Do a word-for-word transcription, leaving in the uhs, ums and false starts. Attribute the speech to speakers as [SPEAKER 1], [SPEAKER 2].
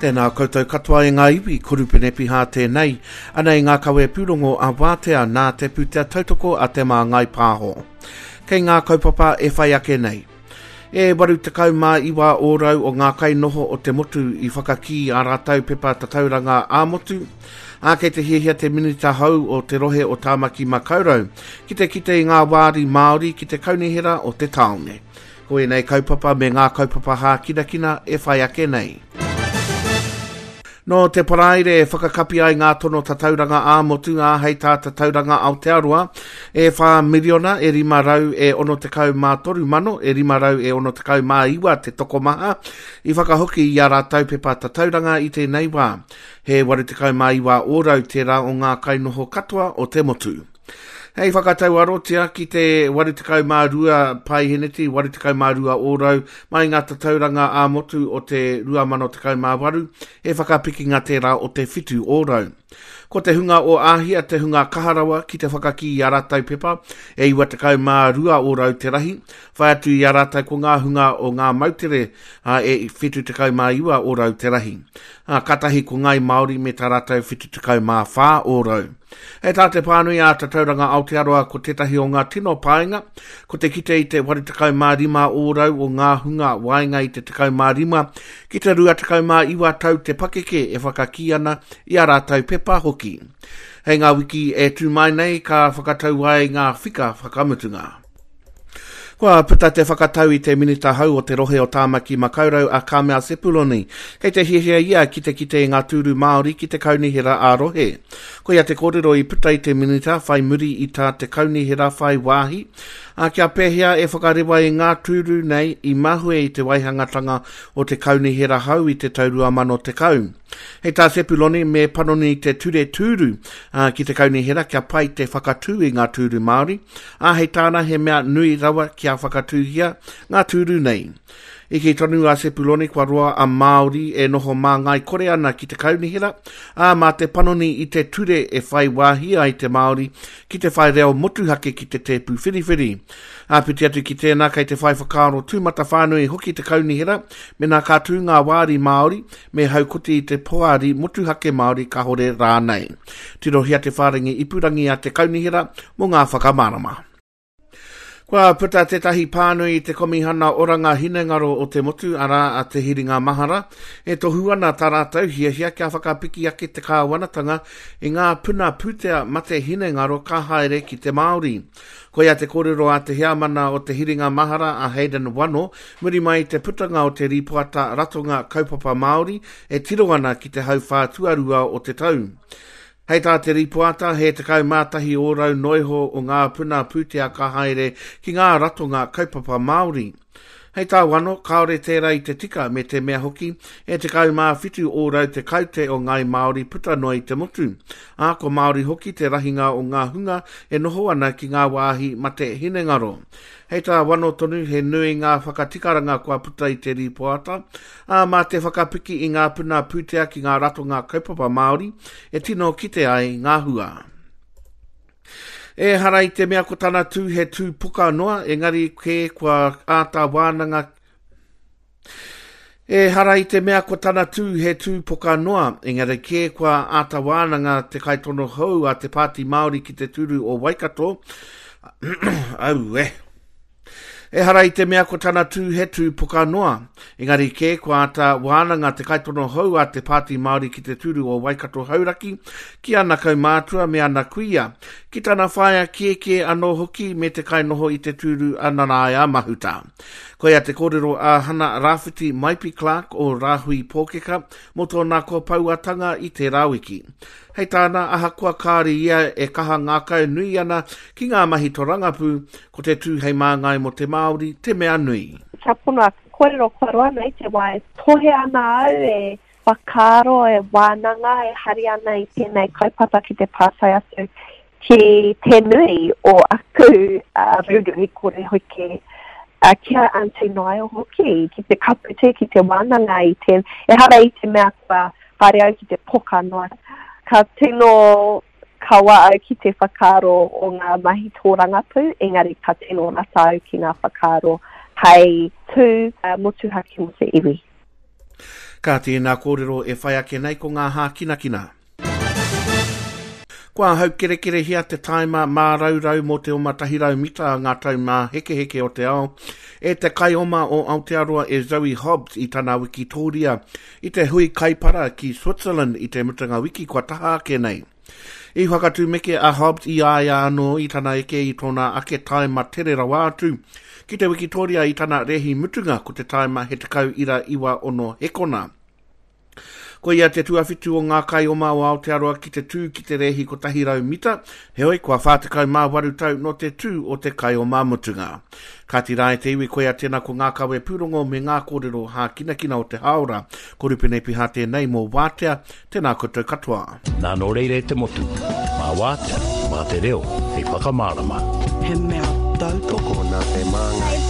[SPEAKER 1] Tēnā koutou katoa e ngā iwi, ko Rupene Piha tēnei. Anei ngā kawe pūrongo a Wātea nā te pūtea tautoko a Te Māngai Pāho. Kei ngā kaupapa e whai ake nei. E waru tekau mā iwa ōrau o ngā kainoho o te motu i whakakī ā rātou pepa tatauranga ā-motu, ā, kei te hiahia te Minita hou o te rohe o Tāmaki Makaurau ki te kite i ngā wāri Māori ki te kaunihera o te tāone. Ko ēnei kaupapa me ngā kaupapa hākinakina e whai ake nei. Nō te Paraire e whakakapi ai ngā tono tatauranga ā-motu ā hei tā Tatauranga Aotearoa e whā miriona e rima rau e ono tekau mā toru mano e rima rau e ono tekau mā iwa te tokomaha i whakahoki i ā rātou pepa tatauranga i tēnei wā. He waru tekau mā iwa ōrau tērā o ngā kainoho katoa o te motu. Hei whakatau arotia ki te waru tekau mā rua paeheneti, waru tekau mā rua ōrau mai ngā tatauranga ā-motu o te rua mano tekau mā waru, he whakapikinga tērā o te whitu ōrau. Ko te hunga o Āhia te hunga kaha rawa ki te whakakī i ā rātou pepa, e iwa tekau mā rua ōrau te rahi, whai atu i a rātou ko ngā hunga o ngā moutere, ā, e whitu tekau mā iwa ōrau te rahi. Ā, kātahi ko Ngāi Māori me tā rātou whitu tekau mā whā ōrau. Hei tā te pānui a Tatauranga Aotearoa ko tētahi o ngā tino painga, ko te kite i te waru tekau mā rima ōrau o ngā hunga waenga i te tekau mā rima ki te rua tekau mā iwa tau te pakeke e whakakī ana i ā rātou pepa hoki. Hei ngā wiki e tū mai nei ka whakatau ai ngā whika whakamutunga. Kua puta te whakatau i te Minita hou o te rohe o Tāmaki Makaurau a Carmel Sepuloni. Kei te hiahia ia ki te kite i ngā tūru Māori ki te kaunihera ā-rohe. Koia te kōrero i puta i te Minita whai muri i tā te kaunihera whai wāhi, ā, kia pēhea e whakarewa i ngā tūru nei i mahue i te waihangatanga o te kaunihera hou i te tau rua mano tekau. Hei tā Sepuloni, me panoni te ture tūru, ā, ki te kaunihera kia pai te whakatū i ngā tūru Māori, ā, hei tāna he mea nui rawa kia whakatūhia ngā tūru nei. I kī tonu a Sepuloni kua roa a Māori e noho māngai kore ana ki te kaunihera, ā, mā te panoni i te ture e whai wāhi ai te Māori ki te whai reo motuhake ki te tēpu whiriwhiri. Āpiti atu ki tēnā kei te whai whakaaro tūmatawhānui hoki te kaunihera mēnā ka tū ngā wāri Māori me haukoti i te poari motuhake Māori kāhore rānei. Tirohia te whārangi ipurangi a te kaunihera mō ngā whakamārama. Kua puta tētahi pānui i te Komihana Oranga Hinengaro o te Motu, arā a Te Hiringa Mahara, e tohu ana tā rātou hiahia kia whakapiki ake te kāwanatanga i ngā puna pūtea mate hinengaro ka haere ki te Māori. Koia te kōrero a te heamana o Te Hiringa Mahara a Hayden Wano, muri mai i te putanga o te rīpoata Ratonga Kaupapa Māori e tiro ana ki te hauwhā tuarua o te tau. Hei tā te rīpoata, he tekau mā tahi ōrau noiho o ngā puna pūtea ka haere ki ngā ratonga kaupapa Māori. Hei tā Wano, kāore tērā i te tika me te mea hoki, e tekau mā whitu ōrau te kaute o ngāi Māori puta noa i te motu. Ā, ko Māori hoki te rahinga o ngā hunga e noho ana ki ngā wāhi mate hinengaro. Hei tā Wano tonu, he nui ngā whakatikaranga kua puta i te rīpoata, ā, mā te whakapiki i ngā puna pūtea ki ngā ratonga kaupapa Māori e tino kite ai ngā hua. Ehara i te mea ko tana tū he tū poka noa, engari kē kua āta wānanga Ehara i te mea ko tana tū he tū poka noa, engari kē kua āta wānanga te kaitono hou a te Pāti Māori ki te tūru o Waikato, aue. Ehara i te mea ko tana tū he tū poka noa, engari kē kua āta wānanga te kaitono hou a te Pāti Māori ki te tūru o Waikato Hauraki, ki ana kaumātua me ana kuia, ki tana whaea kēkē anō hoki me te kainoho i te tūru a Nanaia Mahuta. Koia te kōrero a Hana Rāwhiti Maipi Clark o Rāhui Pōkeka mō tōna kōpauatanga i tērā wiki. Hei tāna, ahakoa kāore ia e kaha ngākau nui ana ki ngā mahi torangapū, ko te tū hei māngai mō te Māori te mea nui.
[SPEAKER 2] Kia pono aku kōrero kua roa nei te wā e tohe ana au, e whakaaro, e wānanga, e hari ana i tēnei kaupapa ki te pātai atu ki te nui o aku rūrū kore hoki, ki a Aunty Niall hoki, ki te kapu tē, ki te wānanga i te, ehara i te mea kua haere au ki te poka noa. Ka tino kawa au ki te whakaaro o ngā mahi tōrangapū, engari ka tino rata au ki ngā whakaaro hei tū motuhake mō te iwi.
[SPEAKER 1] Ka tēnā kōrero e whai ake nei ko ngā hākinakina. Kua haukerekerehia te taima māraurau mō te oma tahi rau mita ngā taumāhekeheke o te ao e te kaioma o Aotearoa e Zoe Hobbs i tana wikitōria i te hui kaipara ki Switzerland i te mutunga wiki kua taha ake nei. I whakatūmeke a Hobbs i a ia anō i tana eke i tōna ake taima tere rawa atu ki te wikitōria i tana rehi mutunga ko te taima he tekau ira iwa ono hekona. Ko ia te tuawhitu o ngā kaioma o Aotearoa ki te tū ki te rehi kotahi rau mita, heoi kua whā tekau mā waru tau no te tū o te kaioma mutunga. Kāti rā e te iwi koia tēnā ko ngā kawe pūrongo me ngā kōrero hākinakina o te hāora. Ko Rupene Piha tēnei mō Wātea, tēnā koutou katoa.
[SPEAKER 3] Nā nō reira e te motu, mā Wātea, mā te reo, hei whakamārama.
[SPEAKER 4] He mea tautoko
[SPEAKER 5] nā te Māngai.